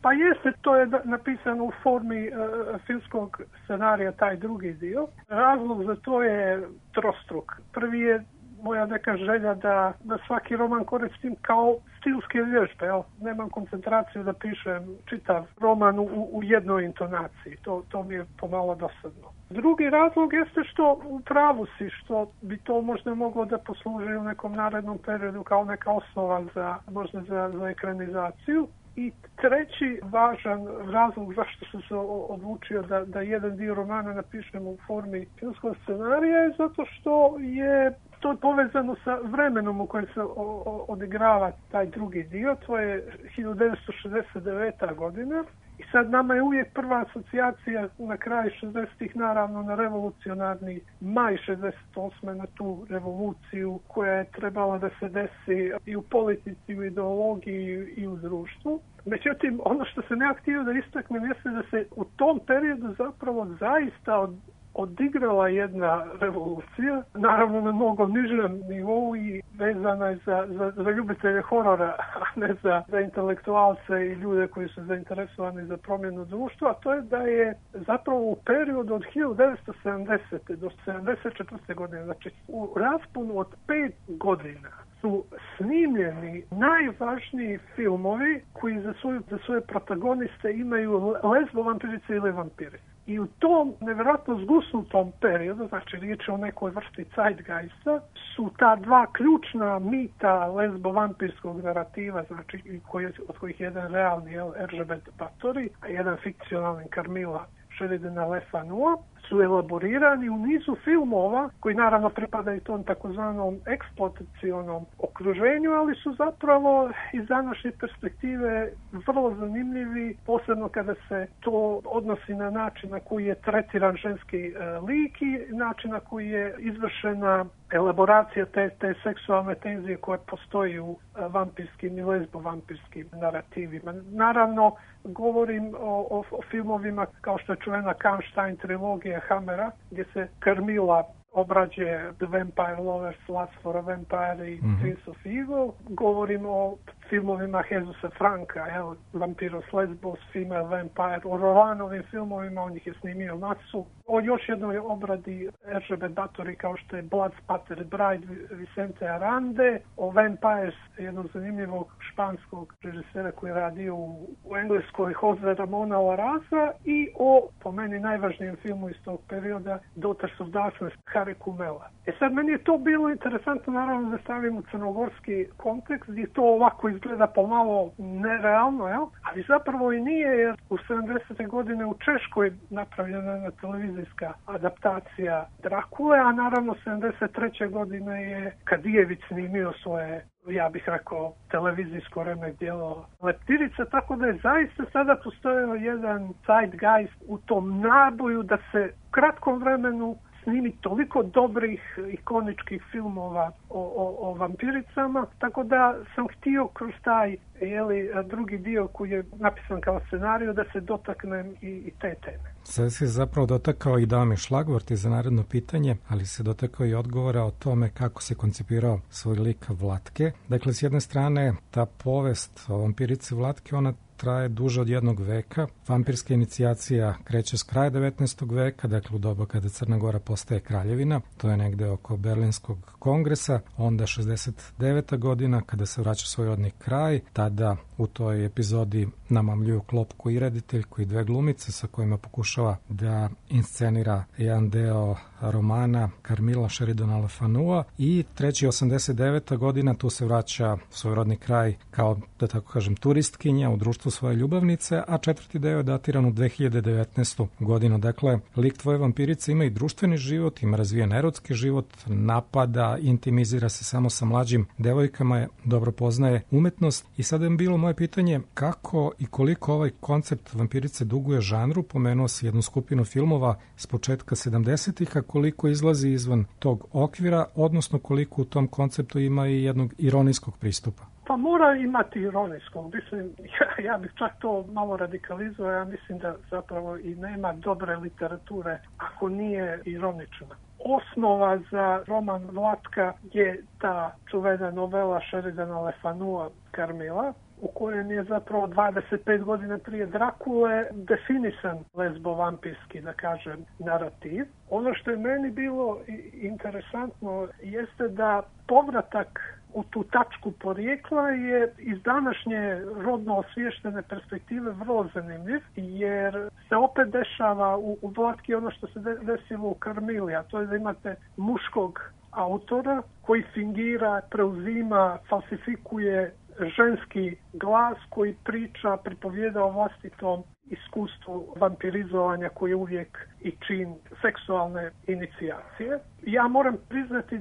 S8: Pa jeste, to je napisano u formi filmskog scenarija, taj 2. dio. Razlog za to je trostruk. Prvi je moja neka želja da svaki roman koristim kao stilske vježbe. Nemam koncentraciju da pišem čitav roman u jednoj intonaciji. To mi je pomalo dosadno. Drugi razlog jeste što u pravu si, što bi to možda moglo da posluži u nekom narednom periodu kao neka osnova možda za ekranizaciju. I treći važan razlog zašto sam se odlučio da jedan dio romana napišem u formi filmskog scenarija je zato što je to povezano sa vremenom u kojem se odigrava taj 2. dio. To je 1969. godina I sad nama je uvijek prva asocijacija na kraju 60-ih naravno na revolucionarni maj 68. na tu revoluciju koja je trebala da se desi i u politici, i u ideologiji i u društvu. Međutim, ono što sam ja htio da istaknem jeste da se u tom periodu zapravo zaista odigrala jedna revolucija, naravno na mnogo nižem nivou i vezana je za ljubitelje horora, a ne za intelektualce i ljude koji su zainteresovani za promjenu društva, a to je da je zapravo u periodu od 1970. do 1974. godine, znači u rasponu od 5 godina, su snimljeni najvažniji filmovi koji za svoje protagoniste imaju lezbo vampirice ili vampire. I u tom nevjerojatno zgusnutom periodu, znači riječ je o nekoj vrsti zeitgeista, su ta dva ključna mita lezbo-vampirskog narativa, znači od kojih jedan realni Erzsébet Báthory, a jedan fikcionalni Carmilla Sheridana Le Fanu, su elaborirani u nizu filmova koji naravno pripadaju tom takozvanom eksploatacionom okruženju, ali su zapravo iz današnje perspektive vrlo zanimljivi, posebno kada se to odnosi na način na koji je tretiran ženski lik i način na koji je izvršena elaboracija te seksualne tenzije koje postoji u vampirskim i lezbo-vampirskim narativima. Naravno, govorim o filmovima kao što je čuvena Kahnstein trilogija Hammera, gdje se Carmilla obrađuje The Vampire Lovers, Lust for a Vampire i Prince of Evil. Govorim o filmovima Jezusa Franka, Vampiros Lesbos, Female Vampire, o Rolanovim filmovima, on ih je snimio masu. O još jednoj obradi Erzsébet Báthory kao što je Bloodspattered Bride Vicente Arande, o Vampires, jednog zanimljivog španskog režisera koji je radio u Engleskoj Jose Ramona Larraza i o, po meni, najvažnijem filmu iz tog perioda Daughters of Darkness Harry Kumela. Sad, meni je to bilo interesantno, naravno, da stavim u crnogorski kontekst, gdje to ovako izgleda pomalo nerealno, ali zapravo i nije, jer u 70. godine u Češkoj napravljena je televizijska adaptacija Drakule, a naravno 73. godine je Kadijević snimio svoje, ja bih rekao, televizijsko remek djelo Leptirica, tako da je zaista sada postojao jedan zeitgeist u tom naboju da se u kratkom vremenu snimi toliko dobrih ikoničkih filmova o vampiricama, tako da sam htio kroz taj drugi dio koji je napisan kao scenariju da se dotaknem i te teme.
S4: Sada se zapravo dotakao i dao mi šlagvort za naredno pitanje, ali se dotakao i odgovora o tome kako se koncipirao svoj lik Vlatke. Dakle, s jedne strane, ta povest o vampirici Vlatke, ona traje duže od 1 veka. Vampirska inicijacija kreće s kraja 19. veka, dakle u doba kada Crna Gora postaje kraljevina, to je negde oko Berlinskog kongresa, onda 69. godina kada se vraća svoj rodni kraj, tada u toj epizodi namamljuju klopku i rediteljku i 2 glumice sa kojima pokušava da inscenira jedan deo romana Carmilla Sheridana Le Fanua i 89. godina tu se vraća svoj rodni kraj kao, da tako kažem, turistkinja u društvu svoje ljubavnice, a 4. deo je datiran u 2019. godinu. Dakle, lik tvoje vampirice ima i društveni život, ima razvijen erotski život, napada, intimizira se samo sa mlađim devojkama, dobro poznaje umetnost. I sada je bilo moje pitanje kako i koliko ovaj koncept vampirice duguje žanru. Pomenuo si jednu skupinu filmova s početka 70-ih, a koliko izlazi izvan tog okvira, odnosno koliko u tom konceptu ima i jednog ironijskog pristupa.
S8: Pa mora imati ironijskog. Mislim, ja bih čak to malo radikalizovao. Ja mislim da zapravo i nema dobre literature ako nije ironična. Osnova za roman Vlatka je ta čuvena novela Sheridana Le Fanua Carmilla, u kojem je zapravo 25 godina prije Drakule definisan lezbo-vampirski, da kažem, narativ. Ono što je meni bilo interesantno jeste da povratak u tu tačku porijekla je iz današnje rodno osviještene perspektive vrlo zanimljiv, jer se opet dešava u Vlatki ono što se desilo u Carmilli, a to je da imate muškog autora koji fingira, preuzima, falsifikuje ženski glas koji priča, pripovijeda o vlastitom iskustvu vampirizovanja koji je uvijek i čin seksualne inicijacije. Ja moram priznati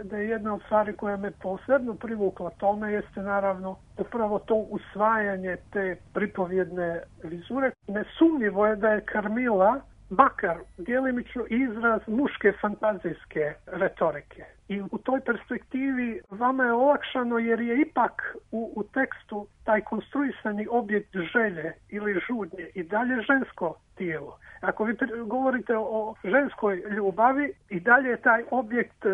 S8: da je jedna od stvari koja me posebno privukla tome jeste naravno upravo to usvajanje te pripovjedne vizure. Nesumnjivo je da je Carmilla makar djelimično izraz muške fantazijske retorike. I u toj perspektivi vama je olakšano jer je ipak u tekstu taj konstruisani objekt želje ili žudnje i dalje žensko tijelo. Ako vi govorite o ženskoj ljubavi, i dalje je taj objekt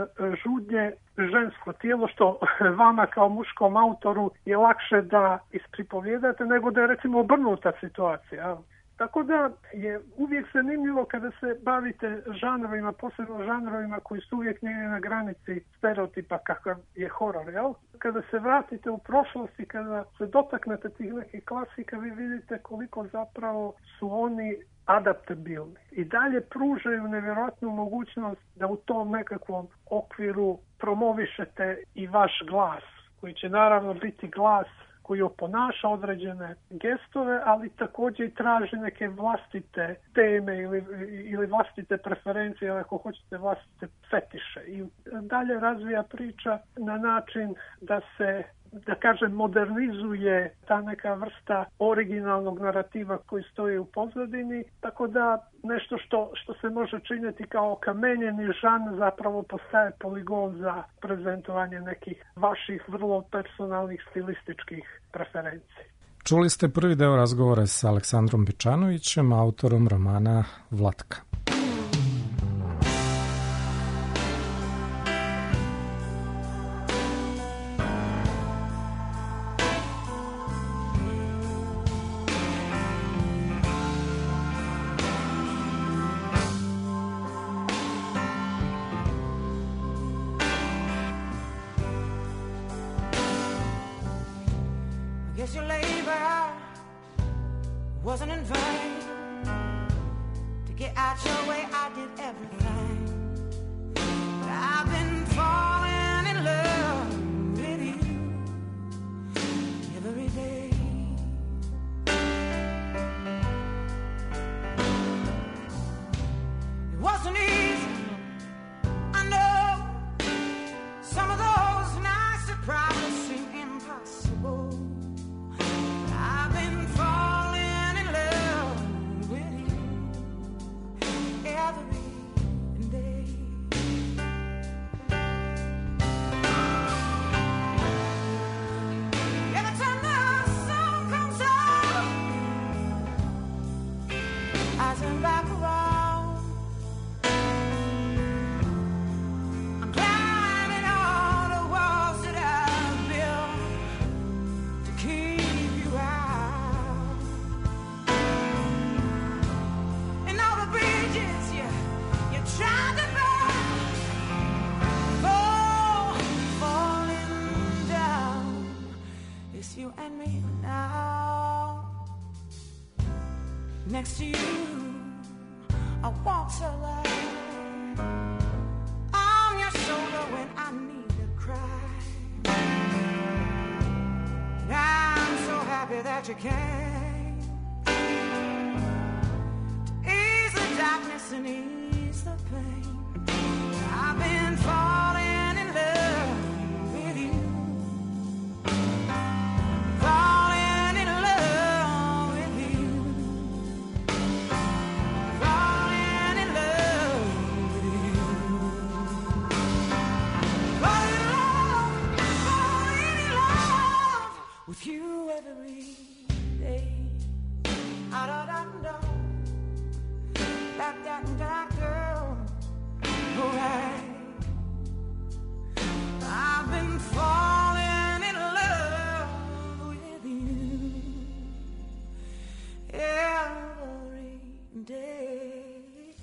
S8: žudnje žensko tijelo, što vama kao muškom autoru je lakše da ispripovjedate nego da je recimo obrnuta situacija. Tako da je uvijek zanimljivo kada se bavite žanrovima, posebno žanrovima koji su uvijek negdje na granici stereotipa kakav je horor, jel? Kada se vratite u prošlost i kada se dotaknete tih nekih klasika, vi vidite koliko zapravo su oni adaptabilni. I dalje pružaju nevjerojatnu mogućnost da u tom nekakvom okviru promovišete i vaš glas, koji će naravno biti glas koji oponaša određene gestove, ali također i traži neke vlastite teme ili vlastite preferencije, ili ako hoćete vlastite fetiše. I dalje razvija priča na način da se, da kažem, modernizuje ta neka vrsta originalnog narativa koji stoji u pozadini, tako da nešto što se može činiti kao kamenjeni žan zapravo postaje poligon za prezentovanje nekih vaših vrlo personalnih stilističkih preferencija.
S4: Čuli ste prvi deo razgovora sa Aleksandrom Bečanovićem, autorom romana Vlatka.
S7: Guess your labor wasn't in vain. To get out your way, I did everything. But I've been falling in love with you every day. It wasn't easy, I know. Some of those nights that probably seem impossible. I've been falling in love with you every day. Every time the sun comes out, I turn back around. I'm climbing all the walls that I've built to keep you out, and all the bridges you tried to burn, falling down. It's you and me now. Next to you, I walk so light. I'm your shoulder when I need to cry. And I'm so happy that you came to ease the darkness and ease the pain. I've been falling in love with you, falling in love with you, falling in love with you, falling in love with you every day. Da da da da, da da da da. Alright, I've been falling in love with you every day.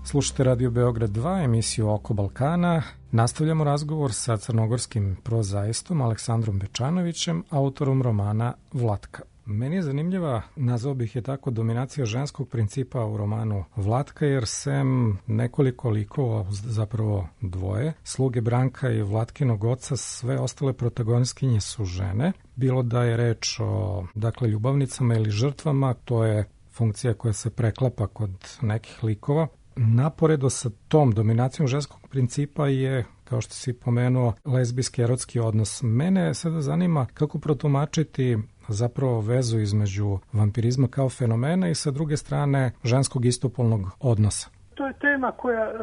S4: Slušate Radio Beograd 2, emisiju Oko Balkana. Nastavljamo razgovor sa crnogorskim prozaistom Aleksandrom Bečanovićem, autorom romana Vlatka. Meni je zanimljiva, nazvao bih je tako, dominacija ženskog principa u romanu Vlatka, jer sem nekoliko likova, zapravo dvoje, sluge Branka i Vlatkinog oca, sve ostale protagonistkinje su žene. Bilo da je reč o, dakle, ljubavnicama ili žrtvama, to je funkcija koja se preklapa kod nekih likova. Naporedo sa tom dominacijom ženskog principa je, kao što si pomenuo, lezbijski erotski odnos. Mene sada zanima kako protumačiti zapravo vezu između vampirizma kao fenomena i sa druge strane ženskog istopolnog odnosa.
S8: To je tema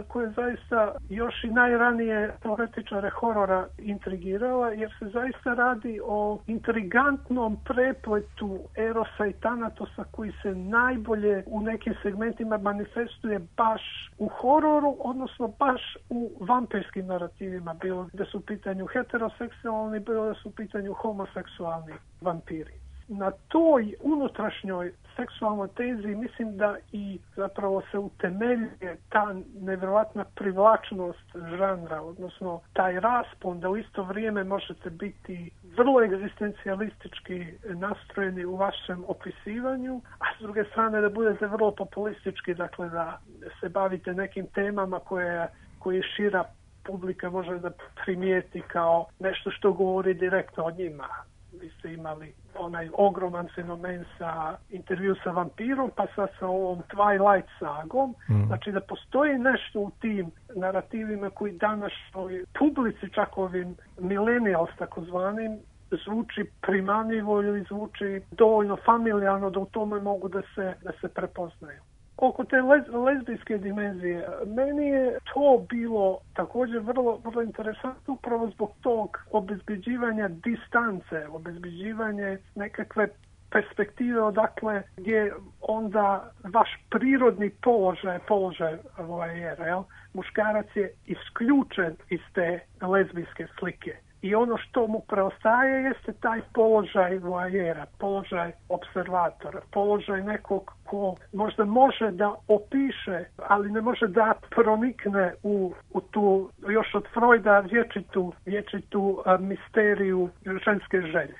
S8: koja zaista još i najranije teoretičare horora intrigirala, jer se zaista radi o intrigantnom prepletu erosa i tanatosa koji se najbolje u nekim segmentima manifestuje baš u hororu, odnosno baš u vampirskim narativima, bilo da su u pitanju heteroseksualni, bilo da su u pitanju homoseksualni vampiri. Na toj unutrašnjoj seksualnoj tezi mislim da i zapravo se utemeljuje ta nevjerojatna privlačnost žanra, odnosno taj raspon da u isto vrijeme možete biti vrlo egzistencijalistički nastrojeni u vašem opisivanju, a s druge strane da budete vrlo populistički, dakle da se bavite nekim temama koje šira publika može da primijeti kao nešto što govori direktno o njima. Vi ste imali onaj ogroman fenomen sa intervju sa vampirom, pa sad sa ovom Twilight sagom. Znači da postoji nešto u tim narativima koji današnjoj publici, čak ovim millennials takozvanim, zvuči primamljivo ili zvuči dovoljno familijarno da u tome mogu da se prepoznaju. Oko te lezbijske dimenzije, meni je to bilo također vrlo, vrlo interesantno upravo zbog tog obezbeđivanja distance, obezbeđivanje nekakve perspektive odakle gdje onda vaš prirodni položaj vojera, muškarac je isključen iz te lezbijske slike. I ono što mu preostaje jeste taj položaj voajera, položaj observatora, položaj nekog ko možda može da opiše, ali ne može da pronikne u tu, još od Freuda, vječitu misteriju ženske želje.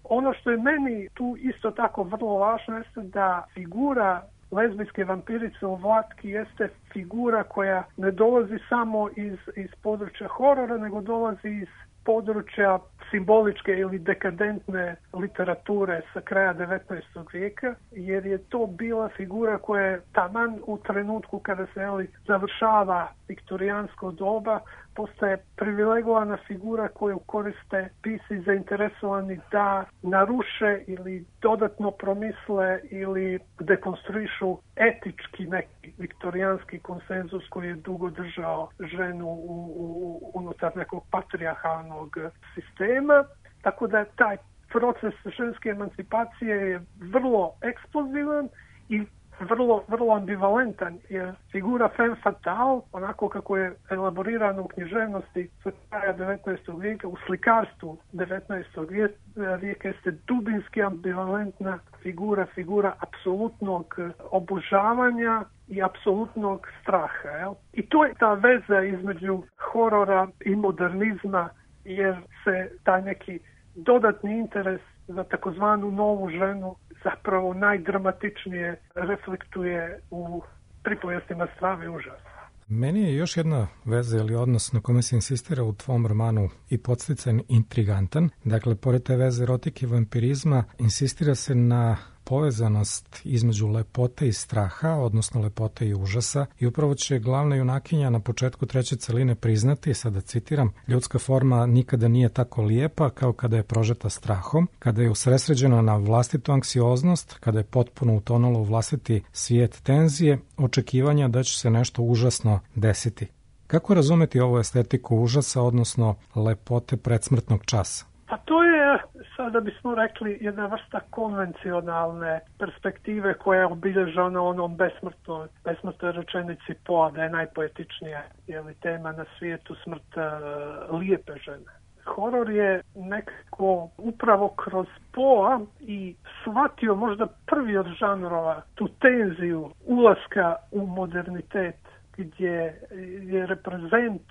S8: Ono što je meni tu isto tako vrlo važno jeste da figura lezbijske vampirice u Vlatki jeste figura koja ne dolazi samo iz područja horora, nego dolazi iz područja simboličke ili dekadentne literature sa kraja 19. vijeka, jer je to bila figura koja je taman u trenutku kada se završava viktorijansko doba, postaje privilegovana figura koju koriste pisci zainteresovani da naruše ili dodatno promisle ili dekonstruišu etički neki viktorijanski konsenzus koji je dugo držao ženu unutar nekog patrijarhalnog sistema. Tako da taj proces ženske emancipacije je vrlo eksplozivan i vrlo ambivalentan, jer figura femme fatale, onako kako je elaborirana u književnosti sa kraja 19. vijeka, u slikarstvu 19. vijeka jeste dubinski ambivalentna figura apsolutnog obožavanja i apsolutnog straha. I to je ta veza između horora i modernizma, jer se taj neki dodatni interes za takozvanu novu ženu zapravo najdramatičnije reflektuje u pripovijestima Strave i užasa.
S4: Meni je još jedna veza ili odnos na kome se insistira u tvom romanu i podstican intrigantan. Dakle, pored te veze erotike i vampirizma, insistira se na povezanost između lepote i straha, odnosno lepote i užasa, i upravo će glavna junakinja na početku treće celine priznati, sada citiram, ljudska forma nikada nije tako lijepa kao kada je prožeta strahom, kada je usresređena na vlastitu anksioznost, kada je potpuno utonula u vlastiti svijet tenzije, očekivanja da će se nešto užasno desiti. Kako razumeti ovu estetiku užasa, odnosno lepote predsmrtnog časa?
S8: Pa to je, sada bismo rekli, jedna vrsta konvencionalne perspektive koja je obilježena onom besmrtnoj rečenici Poa, da je najpoetičnija tema na svijetu smrt lijepe žene. Horor je nekako upravo kroz Poa i shvatio možda prvi od žanrova tu tenziju ulaska u modernitet, gdje je reprezent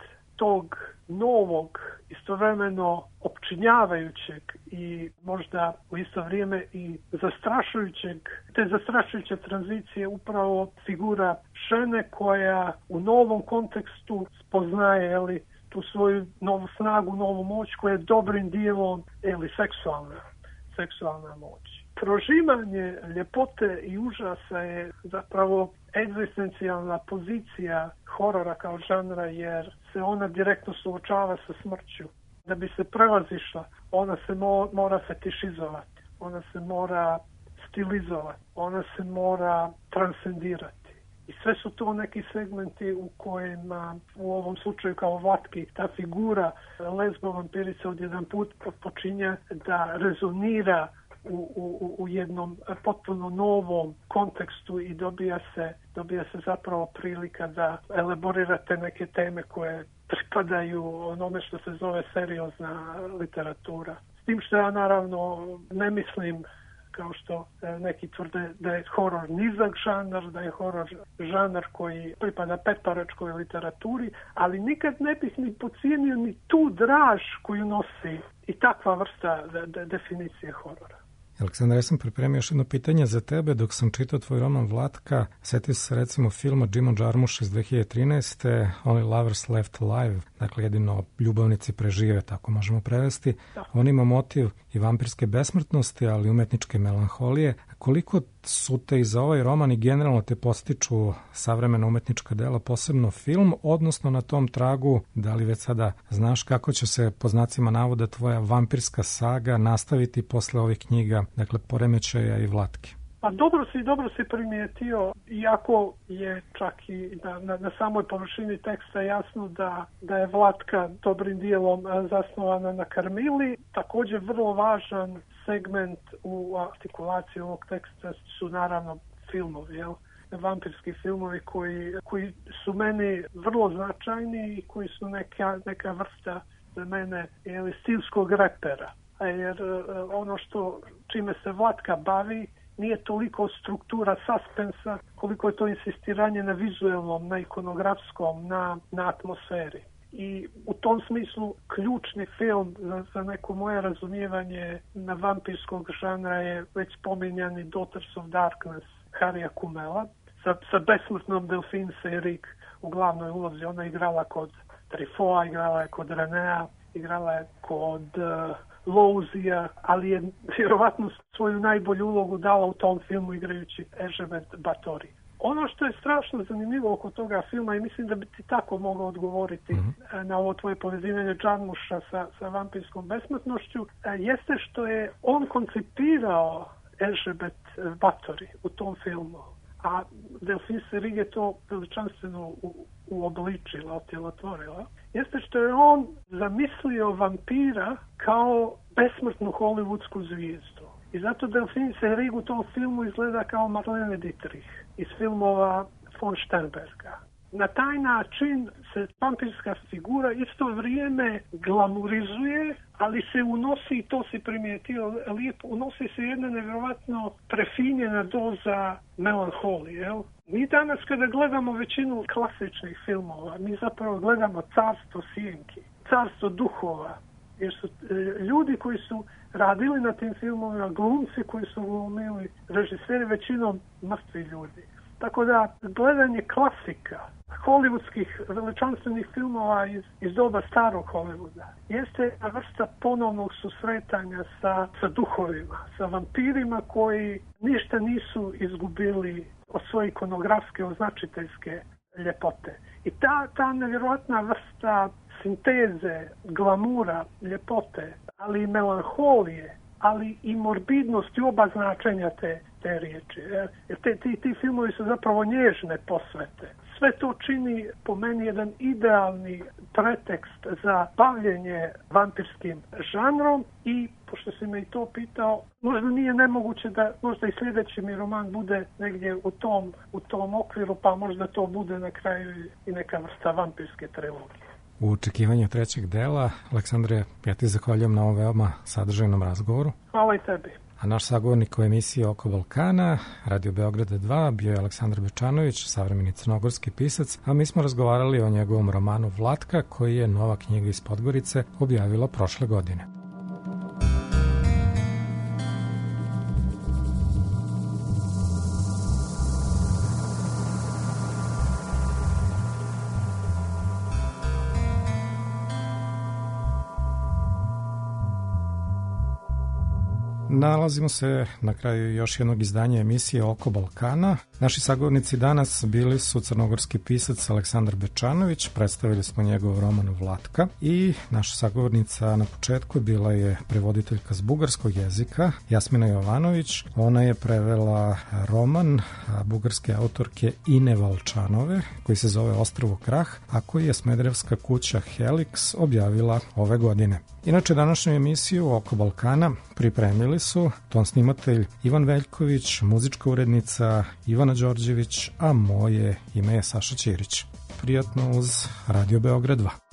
S8: tog novog, istovremeno opčinjavajućeg i možda u isto vrijeme i zastrašujućeg, te zastrašujuće tranzicije upravo figura žene koja u novom kontekstu spoznaje tu svoju novu snagu, novu moć koja je dobrim dijelom seksualna moć. Prožimanje ljepote i užasa je zapravo egzistencijalna pozicija horora kao žanra, jer se ona direktno suočava sa smrću. Da bi se prevazišla, ona se mora fetišizovati, ona se mora stilizovati, ona se mora transcendirati. I sve su to neki segmenti u kojima, u ovom slučaju kao Vlatki, ta figura lezbo vampirice odjedan put počinje da rezonira u jednom potpuno novom kontekstu i dobija se zapravo prilika da elaborirate neke teme koje pripadaju onome što se zove seriozna literatura. S tim što ja naravno ne mislim, kao što neki tvrde, da je horor nizak žanar, da je horor žanar koji pripada petparačkoj literaturi, ali nikad ne bih ni podcijenio ni tu draž koju nosi i takva vrsta definicije horora.
S4: Aleksandar, ja sam pripremio još jedno pitanje za tebe. Dok sam čitao tvoj roman Vlatka, setio se recimo filma Jima Jarmusha iz 2013. Only Lovers Left Alive, dakle jedino ljubavnici prežive, tako možemo prevesti. Da. On ima motiv i vampirske besmrtnosti, ali umetničke melanholije. Koliko su te i za ovaj roman i generalno te postiču savremena umetnička dela, posebno film, odnosno na tom tragu, da li već sada znaš kako će se po znacima navoda tvoja vampirska saga nastaviti posle ovih knjiga, dakle Poremećaja i Vlatke?
S8: Pa dobro si primijetio, iako je čak i na samoj površini teksta jasno da je Vlatka dobrim dijelom zasnovana na Karmili. Također vrlo važan segment u artikulaciji ovog teksta su naravno filmovi, vampirski filmovi koji su meni vrlo značajni i koji su neka vrsta za mene stilskog repera. Jer ono čime se Vlatka bavi nije toliko struktura suspensa koliko je to insistiranje na vizualnom, na ikonografskom, na atmosferi. I u tom smislu ključni film za neko moje razumijevanje na vampirskog žanra je već spominjani Daughters of Darkness Harrya Kumela sa besmrtnom Delphine Seyrig u glavnoj ulozi. Ona je igrala kod Truffautta, igrala je kod Renea, igrala je kod Louzija, ali je vjerovatno svoju najbolju ulogu dala u tom filmu igrajući Erzsébet Báthory. Ono što je strašno zanimljivo oko toga filma, i mislim da bi ti tako mogao odgovoriti na ovo tvoje povezivanje Jarmusha sa vampirskom besmrtnošću, jeste što je on koncipirao Erzsébet Báthory u tom filmu, a Delphine Seyrig je to veličanstveno uobličila, otjelotvorila. Jeste što je on zamislio vampira kao besmrtnu hollywoodsku zvijezdu. I zato Delphine Seyrig u tom filmu izgleda kao Marlene Dietrich iz filmova von Sternberga. Na taj način se vampirska figura isto vrijeme glamurizuje, ali se unosi, i to si primijetio lijepo, unosi se jedna nevjerojatno prefinjena doza melanholije. Mi danas kada gledamo većinu klasičnih filmova, mi zapravo gledamo carstvo sjenki, carstvo duhova, jer su ljudi koji su radili na tim filmovima, glumci koji su glumili, režiseri većinom mrtvi ljudi. Tako da gledanje klasika, hollywoodskih veličanstvenih filmova iz doba starog Hollywooda jeste jedna vrsta ponovnog susretanja sa duhovima, sa vampirima koji ništa nisu izgubili od svoje ikonografske, označiteljske ljepote. I ta nevjerojatna vrsta sinteze, glamura, ljepote, ali i melanholije, ali i morbidnosti oba značenja te riječi. Jer ti filmovi su zapravo nježne posvete. Sve to čini po meni jedan idealni pretekst za bavljenje vampirskim žanrom i, pošto si me i to pitao, možda nije nemoguće da možda i sljedeći mi roman bude negdje u tom okviru, pa možda to bude na kraju i neka vrsta vampirske trilogije.
S4: U očekivanju trećeg dela, Aleksandre, ja ti zahvaljujem na ovom veoma sadržajnom razgovoru.
S8: Hvala i tebi.
S4: A naš sagovornik u emisiji Oko Balkana, Radio Beograda 2, bio je Aleksandar Bečanović, savremeni crnogorski pisac, a mi smo razgovarali o njegovom romanu Vlatka, koji je Nova knjiga iz Podgorice objavila prošle godine. Nalazimo se na kraju još jednog izdanja emisije Oko Balkana. Naši sagovornici danas bili su crnogorski pisac Aleksandar Bečanović, predstavili smo njegov roman Vlatka, i naša sagovornica na početku bila je prevoditeljka s bugarskog jezika Jasmina Jovanović. Ona je prevela roman bugarske autorke Ine Valčanove koji se zove Ostrvo Krah, a koji je smederevska kuća Helix objavila ove godine. Inače, današnju emisiju Oko Balkana pripremili su ton snimatelj Ivan Veljković, muzička urednica Ivana Đorđević, a moje ime je Saša Ćirić. Prijatno uz Radio Beograd 2.